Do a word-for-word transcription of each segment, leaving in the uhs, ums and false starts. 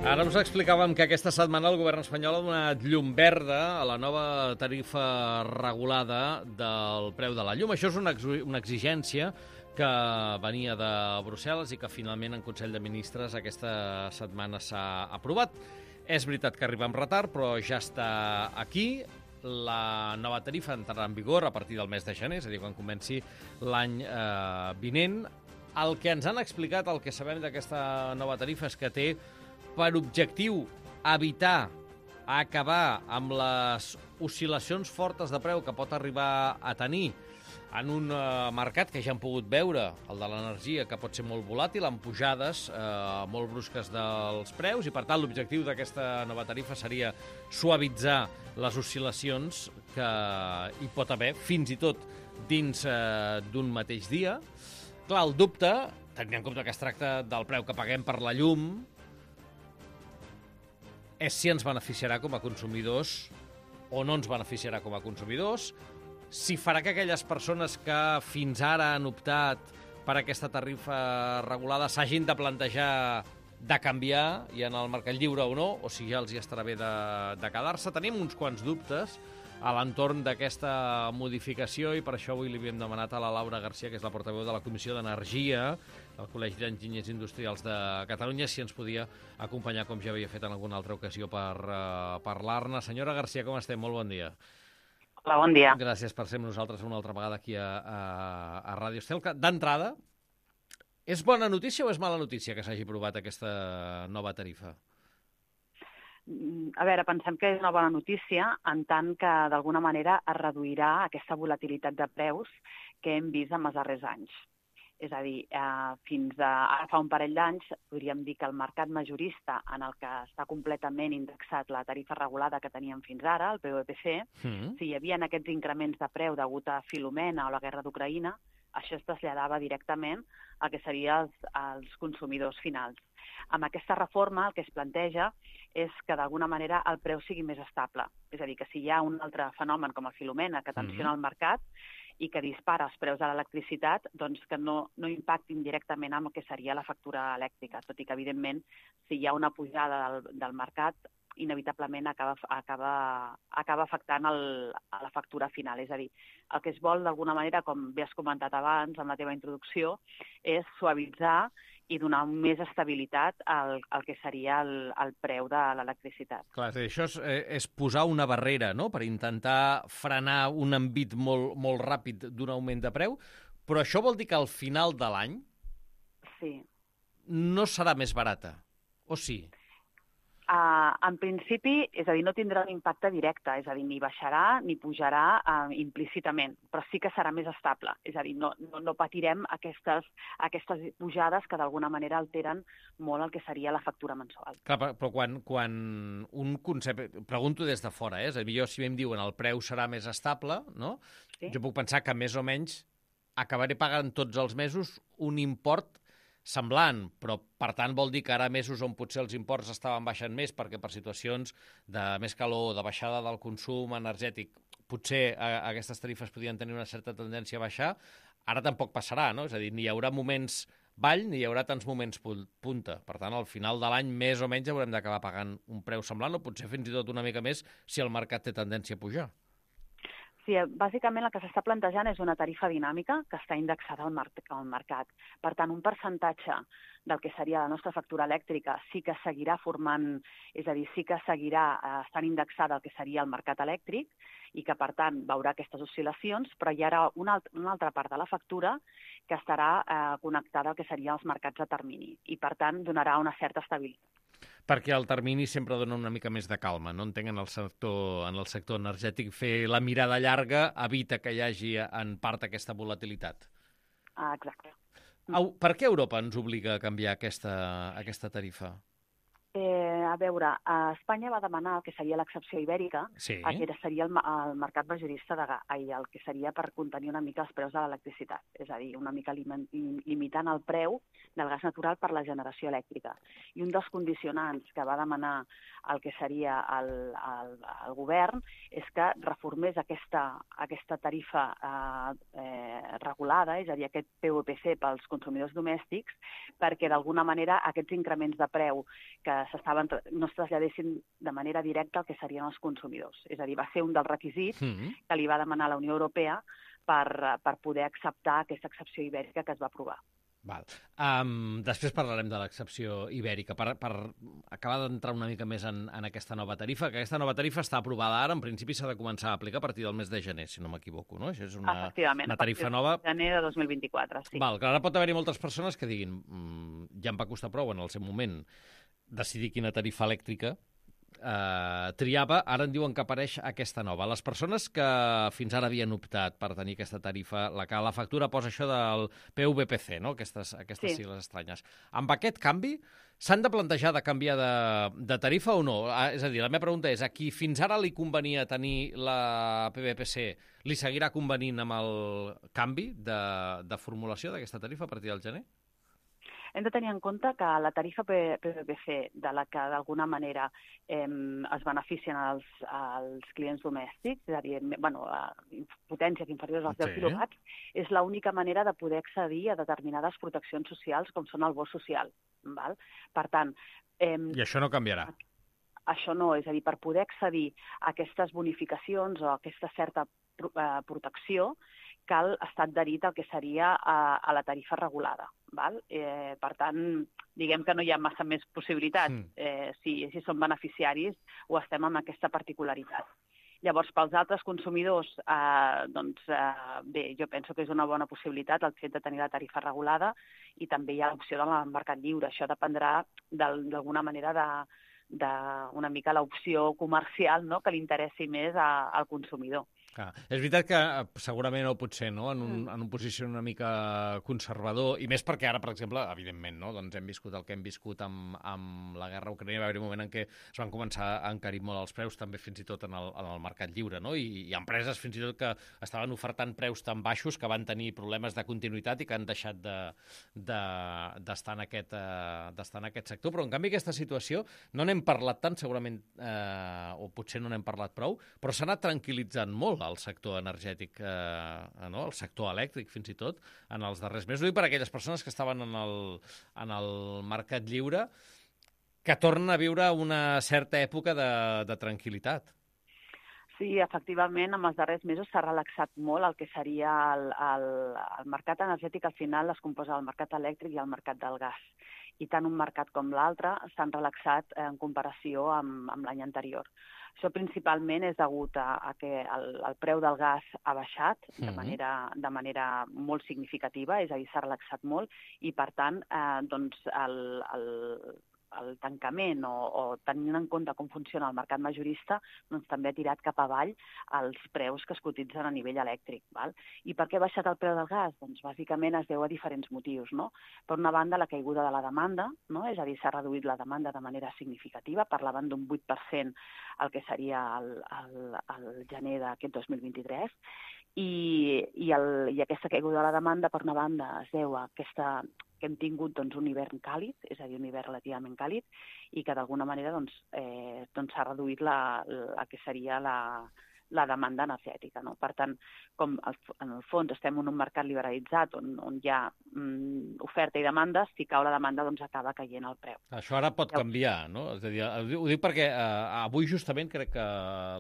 Ara us explicàvem que aquesta setmana el govern espanyol ha donat llum verda a la nova tarifa regulada del preu de la llum. Això és una, una exigència que venia de Brussel·les i que finalment en Consell de Ministres aquesta setmana s'ha aprovat. És veritat que arriba amb retard, però ja està aquí. La nova tarifa entrarà en vigor a partir del mes de gener, és a dir, quan comenci l'any eh, vinent. El que ens han explicat, el que sabem d'aquesta nova tarifa és que té per objectiu evitar acabar amb les oscil·lacions fortes de preu que pot arribar a tenir en un eh, mercat que ja hem pogut veure, el de l'energia, que pot ser molt volàtil, amb pujades eh, molt brusques dels preus, i per tant l'objectiu d'aquesta nova tarifa seria suavitzar les oscil·lacions que hi pot haver, fins i tot dins eh, d'un mateix dia. Clar, el dubte, tenint en compte que es tracta del preu que paguem per la llum, és si ens beneficiarà com a consumidors o no ens beneficiarà com a consumidors, si farà que aquelles persones que fins ara han optat per aquesta tarifa regulada s'hagin de plantejar de canviar i en el mercat lliure o no, o si ja els hi estarà bé de, de quedar-se. Tenim uns quants dubtes a l'entorn d'aquesta modificació i per això avui li havíem demanat a la Laura Garcia, que és la portaveu de la Comissió d'Energia del Col·legi d'Enginyers Industrials de Catalunya, si ens podia acompanyar, com ja havia fet en alguna altra ocasió, per uh, parlar-ne. Senyora Garcia, com estem? Molt bon dia. Hola, bon dia. Gràcies per ser amb nosaltres una altra vegada aquí a, a, a Ràdio Estel. D'entrada, és bona notícia o és mala notícia que s'hagi aprovat aquesta nova tarifa? A veure, pensem que és una bona notícia en tant que d'alguna manera es reduirà aquesta volatilitat de preus que hem vist en els darrers anys. És a dir, eh, fins a ara fa un parell d'anys podríem dir que el mercat majorista en el que està completament indexat la tarifa regulada que teníem fins ara, el P V P C, mm. si hi havia aquests increments de preu degut a Filomena o la guerra d'Ucraïna, això es traslladava directament al que serien els, els consumidors finals. Amb aquesta reforma el que es planteja és que d'alguna manera el preu sigui més estable. És a dir, que si hi ha un altre fenomen com a Filomena que tensiona mm-hmm. el mercat i que dispara els preus de l'electricitat, doncs que no, no impactin directament amb el que seria la factura elèctrica, tot i que, evidentment, si hi ha una pujada del, del mercat, inevitablement acaba, acaba, acaba afectant el, a la factura final. És a dir, el que es vol, d'alguna manera, com bé has comentat abans en la teva introducció, és suavitzar i donar més estabilitat al, al que seria el, el preu de l'electricitat. Clar, això és, és posar una barrera, no?, per intentar frenar un envit molt, molt ràpid d'un augment de preu, però això vol dir que al final de l'any sí. no serà més barata, o sí? Uh, en principi, és a dir, no tindrà un impacte directe, és a dir, ni baixarà ni pujarà uh, implícitament, però sí que serà més estable, és a dir, no, no, no patirem aquestes, aquestes pujades que d'alguna manera alteren molt el que seria la factura mensual. Clar, però quan, quan un concepte, pregunto des de fora, eh? És a dir, jo si em diuen el preu serà més estable, no? Sí? Jo puc pensar que més o menys acabaré pagant tots els mesos un import semblant, però per tant vol dir que ara mesos on potser els imports estaven baixant més perquè per situacions de més calor, de baixada del consum energètic, potser a, a aquestes tarifes podien tenir una certa tendència a baixar, ara tampoc passarà, no? És a dir, ni hi haurà moments ball ni hi haurà tants moments punta. Per tant, al final de l'any més o menys haurem d'acabar pagant un preu semblant o potser fins i tot una mica més si el mercat té tendència a pujar. Sí, bàsicament el que s'està plantejant és una tarifa dinàmica que està indexada al, mar al mercat. Per tant, un percentatge del que seria la nostra factura elèctrica sí que seguirà formant, és a dir, sí que seguirà eh, estant indexada al que seria el mercat elèctric i que, per tant, veurà aquestes oscil·lacions, però hi haurà una, alt una altra part de la factura que estarà eh, connectada al que serien els mercats a termini i, per tant, donarà una certa estabilitat. Perquè el termini sempre dona una mica més de calma, no? Entenc en el sector, en el sector energètic fer la mirada llarga evita que hi hagi en part aquesta volatilitat. Ah, exacte. Au, per què Europa ens obliga a canviar aquesta, aquesta tarifa? Eh, a veure, a Espanya va demanar el que seria l'excepció ibèrica, sí. el que seria el, el mercat majorista de gas, el que seria per contenir una mica els preus de l'electricitat, és a dir, una mica lim limitant el preu del gas natural per la generació elèctrica. I un dels condicionants que va demanar el que seria el, el, el govern és que reformés aquesta, aquesta tarifa eh, eh, regulada, és a dir, aquest P V P C pels consumidors domèstics, perquè d'alguna manera aquests increments de preu que s'estaven, no es traslladessin de manera directa al que serien els consumidors. És a dir, va ser un dels requisits mm-hmm. que li va demanar la Unió Europea per, per poder acceptar aquesta excepció ibèrica que es va aprovar. Val. Um, després parlarem de l'excepció ibèrica. Per, per acabar d'entrar una mica més en, en aquesta nova tarifa, que aquesta nova tarifa està aprovada ara, en principi s'ha de començar a aplicar a partir del mes de gener, si no m'equivoco, no? Això és una, una tarifa nova. Efectivament, a partir de gener de dos mil vint-i-quatre, sí. Val, que ara pot haver-hi moltes persones que diguin mmm, ja em va costar prou en el seu moment decidir quina tarifa elèctrica eh, triava, ara en diuen que apareix aquesta nova. Les persones que fins ara havien optat per tenir aquesta tarifa, la que la factura posa això del P V P C, no? Aquestes, aquestes sí. sigles estranyes. Amb aquest canvi, s'han de plantejar de canviar de, de tarifa o no? És a dir, la meva pregunta és, a qui fins ara li convenia tenir la P V P C, li seguirà convenint amb el canvi de, de formulació d'aquesta tarifa a partir del gener? Hem de tenir en compte que la tarifa P V P C, de la que d'alguna manera eh, es beneficien els, els clients domèstics, és a dir, bueno, potències inferiors als deu sí. quilowatts, és l'única manera de poder accedir a determinades proteccions socials, com són el bo social. Val? Per tant... Eh, I això no canviarà? Això no, és a dir, per poder accedir a aquestes bonificacions o a aquesta certa eh, protecció, cal estar adherit al que seria a, a la tarifa regulada. Val? Eh, per tant, diguem que no hi ha massa més possibilitats. Mm. Eh, si, si som beneficiaris o estem amb aquesta particularitat. Llavors, pels altres consumidors, eh, doncs, eh, bé, jo penso que és una bona possibilitat el fet de tenir la tarifa regulada i també hi ha l'opció del mercat lliure. Això dependrà d'alguna manera de, de una mica l'opció comercial, no?, que li interessi més a, al consumidor. Ah, és veritat que segurament no pot ser, no?, en un, en un posició una mica conservador, i més perquè ara, per exemple, evidentment, no?, doncs hem viscut el que hem viscut amb, amb la guerra a Ucraïna, va haver un moment en què es van començar a encarir molt els preus, també fins i tot en el, en el mercat lliure, no?, i, i empreses fins i tot que estaven ofertant preus tan baixos que van tenir problemes de continuïtat i que han deixat de, de, d'estar en aquest, uh, d'estar en aquest sector. Però, en canvi, aquesta situació no n'hem parlat tant, segurament, eh, o potser no n'hem parlat prou, però s'ha anat tranquil·litzant molt al sector energètic, eh, no? El sector elèctric, fins i tot, en els darrers mesos. Ho dic per aquelles persones que estaven en el, en el mercat lliure, que tornen a viure una certa època de, de tranquil·litat. Sí, efectivament, en els darrers mesos s'ha relaxat molt el que seria el, el, el mercat energètic. Al final es composa el mercat elèctric i el mercat del gas. I tant un mercat com l'altre s'han relaxat en comparació amb, amb l'any anterior. Això principalment és degut a, a que el, el preu del gas ha baixat de manera, de manera molt significativa, és a dir, s'ha relaxat molt, i per tant, eh, doncs, el, el, el tancament o, o tenint en compte com funciona el mercat majorista, doncs també ha tirat cap avall els preus que es cotitzen a nivell elèctric. Val? I per què ha baixat el preu del gas? Doncs bàsicament es deu a diferents motius, no? Per una banda, la caiguda de la demanda, no? És a dir, s'ha reduït la demanda de manera significativa, parlaven d'un vuit per cent el que seria el, el, el gener d'aquest dos mil vint-i-tres, i, i, el, i aquesta caiguda de la demanda, per una banda, es deu a aquesta que hem tingut doncs, un hivern càlid, és a dir, un hivern relativament càlid, i que d'alguna manera doncs, eh, doncs s'ha reduït la, la que seria la, la demanda energètica. No? Per tant, com en el fons estem en un mercat liberalitzat on, on hi ha mm, oferta i demanda, si cau la demanda doncs acaba caient el preu. Això ara pot canviar, no? És a dir, ho dic perquè eh, avui justament crec que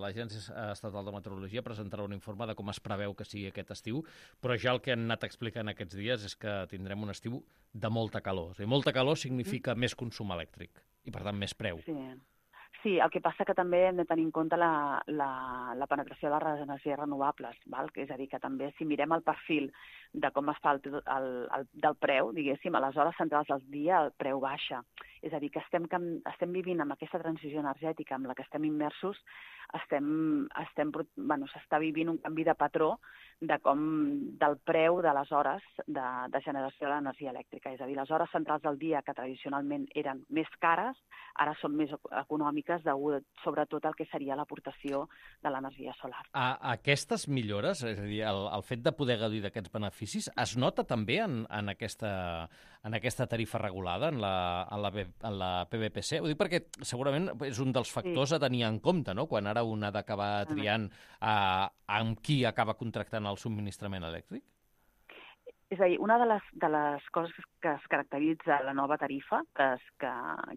l'Agència Estatal de Meteorologia presentarà un informe de com es preveu que sigui aquest estiu, però ja el que han anat explicant aquests dies és que tindrem un estiu de molta calor. És a dir, molta calor significa mm. més consum elèctric i, per tant, més preu. Sí. Sí, el que passa que també hem de tenir en compte la, la, la penetració de les energies renovables, val? És a dir, que també si mirem el perfil de com es fa el, el, el del preu, diguéssim, a les hores centrals del dia el preu baixa. És a dir, que estem, estem vivint amb aquesta transició energètica amb la que estem immersos, estem, estem, bueno, s'està vivint un canvi de patró de com, del preu de les hores de, de generació de l'energia elèctrica. És a dir, les hores centrals del dia, que tradicionalment eren més cares, ara són més econòmiques, degut sobretot al que seria l'aportació de l'energia solar. A, aquestes millores, és a dir, el, el fet de poder gaudir d'aquests beneficis, es nota també en, en, aquesta, en aquesta tarifa regulada, en la, en, la, en la P V P C? Ho dic perquè segurament és un dels factors sí. a tenir en compte, no?, quan ara un ha d'acabar triant uh, amb qui acaba contractant el subministrament elèctric? És a dir, una de les, de les coses que es caracteritza la nova tarifa, que, es, que,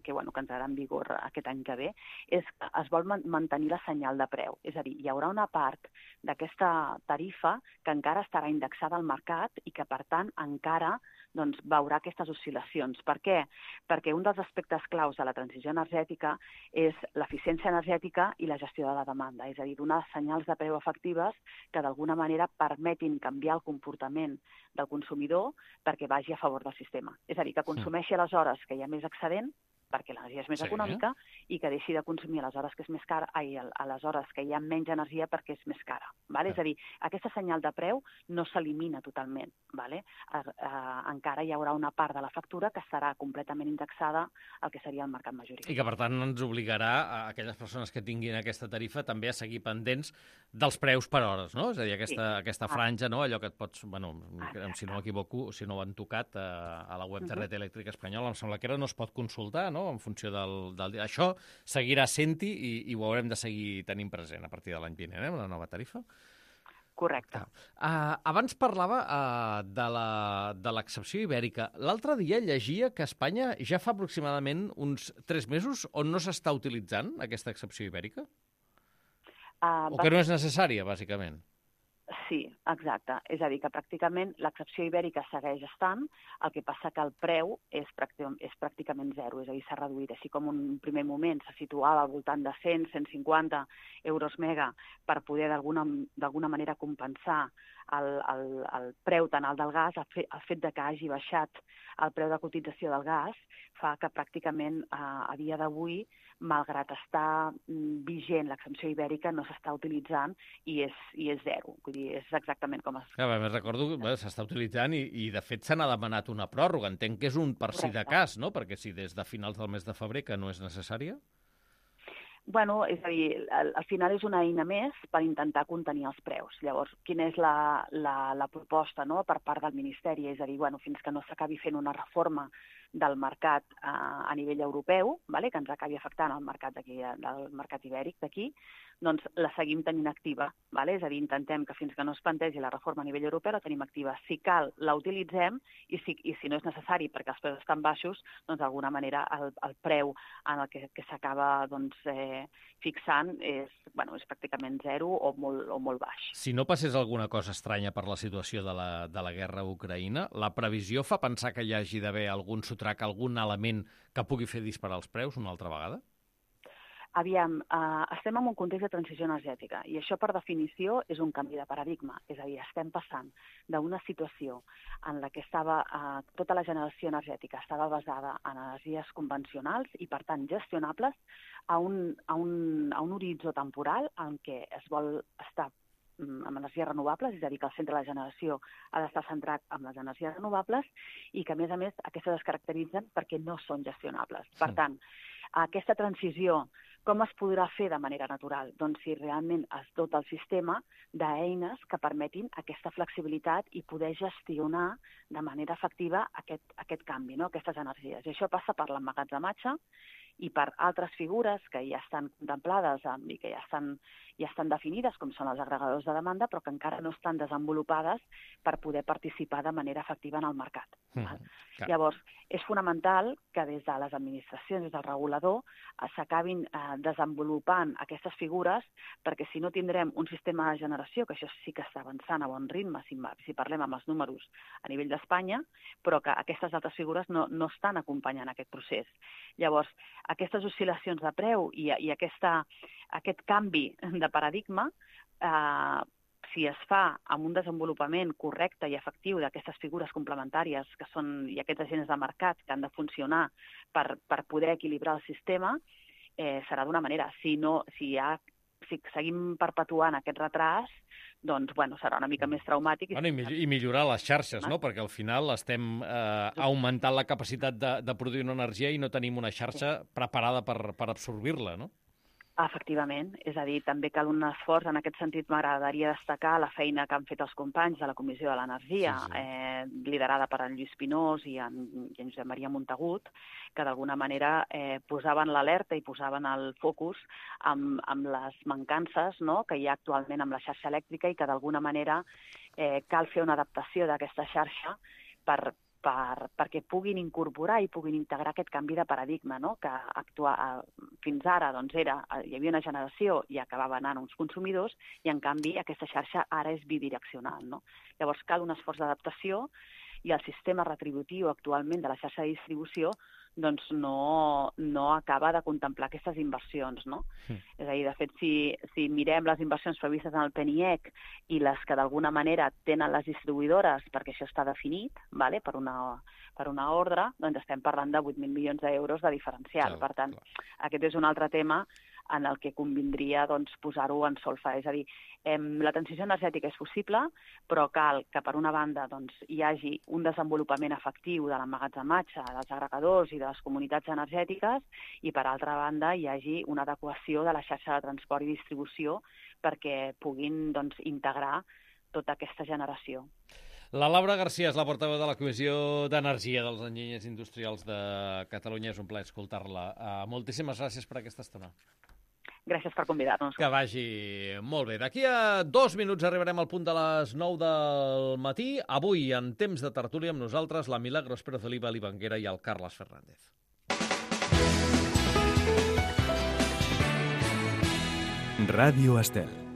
que, bueno, que entrarà en vigor aquest any que ve, és que es vol mantenir la senyal de preu. És a dir, hi haurà una part d'aquesta tarifa que encara estarà indexada al mercat i que, per tant, encara doncs, veurà aquestes oscil·lacions. Per què? Perquè un dels aspectes claus de la transició energètica és l'eficiència energètica i la gestió de la demanda, és a dir, donar senyals de preu efectives que d'alguna manera permetin canviar el comportament del consumidor perquè vagi a favor del sistema. És a dir, que consumeixi a les hores que hi ha més excedent, perquè l'energia és més Sí. econòmica, i que deixi de consumir a les hores que és més cara, ai, a les hores que hi ha menys energia perquè és més cara. Vale? És a dir, aquesta senyal de preu no s'elimina totalment. Vale? Eh, eh, encara hi haurà una part de la factura que estarà completament indexada al que seria el mercat majoritari. I que, per tant, ens obligarà a aquelles persones que tinguin aquesta tarifa també a seguir pendents dels preus per hores, no? És a dir, aquesta, sí. aquesta franja, no? Allò que et pots... Bueno, Exacte. si no m'equivoco, si no ho han tocat a, a la web de Red Elèctrica Espanyola, em sembla que ara no es pot consultar, no?, en funció del, del dia. Això seguirà sent-hi i, i ho haurem de seguir tenint present a partir de l'any vinent, eh, amb la nova tarifa? Correcte. Uh, abans parlava uh, de l'excepció ibèrica. L'altre dia llegia que a Espanya ja fa aproximadament uns tres mesos on no s'està utilitzant aquesta excepció ibèrica? Uh, o que no és necessària, bàsicament? Sí, exacte. És a dir, que pràcticament l'excepció ibèrica segueix estant, el que passa que el preu és, pràcticament, és pràcticament zero, és a dir, s'ha reduït. Així com en un primer moment se situava al voltant de cent a cent cinquanta euros mega per poder d'alguna manera compensar el, el, el preu tan alt del gas, el fet, el fet de que hagi baixat el preu de cotització del gas fa que pràcticament eh, a dia d'avui, malgrat estar vigent l'exempció ibèrica, no s'està utilitzant i és, i és zero. Vull dir, és exactament com es... Ja, més recordo que s'està utilitzant i, i de fet se n'ha demanat una pròrroga. Entenc que és un per si de cas, no? Perquè si des de finals del mes de febrer que no és necessària... Bueno, és a dir, al, al final és una eina més per intentar contenir els preus. Llavors, quina és la, la, la proposta, no?, per part del Ministeri? És a dir, bueno, fins que no s'acabi fent una reforma del mercat eh, a nivell europeu, vale? Que ens acabi afectant el mercat d'aquí, del mercat ibèric d'aquí, doncs la seguim tenint activa. Vale? És a dir, intentem que fins que no es plantegi la reforma a nivell europeu la tenim activa. Si cal, la utilitzem i si, i si no és necessari perquè els preus estan baixos, doncs d'alguna manera el, el preu en el que, que s'acaba doncs, eh, fixant és, bueno, és pràcticament zero o molt, o molt baix. Si no passés alguna cosa estranya per la situació de la, de la guerra a Ucraïna, la previsió fa pensar que hi hagi d'haver algun sotrac, algun element que pugui fer disparar els preus una altra vegada? Aviam, eh, estem en un context de transició energètica i això, per definició, és un canvi de paradigma. És a dir, estem passant d'una situació en la que estava eh, tota la generació energètica estava basada en energies convencionals i, per tant, gestionables a un, a un, a un horitzó temporal en què es vol estar amb energies renovables, és a dir, que el centre de la generació ha d'estar centrat en les energies renovables i que, a més a més, aquestes es caracteritzen perquè no són gestionables. Per tant, aquesta transició, com es podrà fer de manera natural? Doncs si realment es dota el sistema d'eines que permetin aquesta flexibilitat i poder gestionar de manera efectiva aquest, aquest canvi, no? Aquestes energies. I això passa per l'emmagatzematge i per altres figures que ja estan contemplades i que ja estan, ja estan definides, com són els agregadors de demanda, però que encara no estan desenvolupades per poder participar de manera efectiva en el mercat. Mm, Llavors, és fonamental que des de les administracions, des del regulador, s'acabin eh, desenvolupant aquestes figures, perquè si no tindrem un sistema de generació, que això sí que està avançant a bon ritme, si, si parlem amb els números a nivell d'Espanya, però que aquestes altres figures no, no estan acompanyant aquest procés. Llavors, aquestes oscil·lacions de preu i, i aquesta, aquest canvi de paradigma, eh, si es fa amb un desenvolupament correcte i efectiu d'aquestes figures complementàries que són i aquests agents de mercat que han de funcionar per, per poder equilibrar el sistema, eh, serà d'una manera. Si no, si hi ha si seguim perpetuant aquest retras, doncs, bueno, serà una mica més traumàtic. Bueno, i, i millorar les xarxes, no? Perquè al final estem eh, augmentant la capacitat de, de produir una energia i no tenim una xarxa preparada per, per absorbir-la, no? Efectivament, és a dir, també cal un esforç. En aquest sentit, m'agradaria destacar la feina que han fet els companys de la Comissió de l'Energia, sí, sí. Eh, liderada per en Lluís Pinós i en, i en Josep Maria Montagut, que d'alguna manera eh, posaven l'alerta i posaven el focus amb, amb les mancances, no?, que hi ha actualment amb la xarxa elèctrica i que d'alguna manera eh, cal fer una adaptació d'aquesta xarxa per, per, perquè puguin incorporar i puguin integrar aquest canvi de paradigma, no? Que actua, fins ara doncs, era, hi havia una generació i acabava anant uns consumidors, i en canvi aquesta xarxa ara és bidireccional. No? Llavors cal un esforç d'adaptació, i el sistema retributiu actualment de la xarxa de distribució doncs no, no acaba de contemplar aquestes inversions. No? Sí. És a dir, de fet, si, si mirem les inversions previstes en el P N I E C i les que d'alguna manera tenen les distribuïdores, perquè això està definit, vale? per, una, per una ordre, doncs estem parlant de vuit mil milions d'euros de diferencial. Clar, per tant, clar. Aquest és un altre tema en el que convindria doncs, posar-ho en solfa. És a dir, eh, la transició energètica és possible, però cal que, per una banda, doncs, hi hagi un desenvolupament efectiu de l'emmagatzematge, dels agregadors i de les comunitats energètiques, i, per altra banda, hi hagi una adequació de la xarxa de transport i distribució perquè puguin doncs, integrar tota aquesta generació. La Laura García és la portaveu de la Comissió d'Energia dels Enginyers Industrials de Catalunya. És un plaer escoltar-la. Uh, moltíssimes gràcies per aquesta estona. Gràcies per convidar-nos. Que vagi molt bé. D'aquí a dos minuts arribarem al punt de les nou del matí. Avui, en temps de tertúlia, amb nosaltres, la Milagros Pérez Oliva, l'Ivanguera i el Carles Fernández. Ràdio Estel.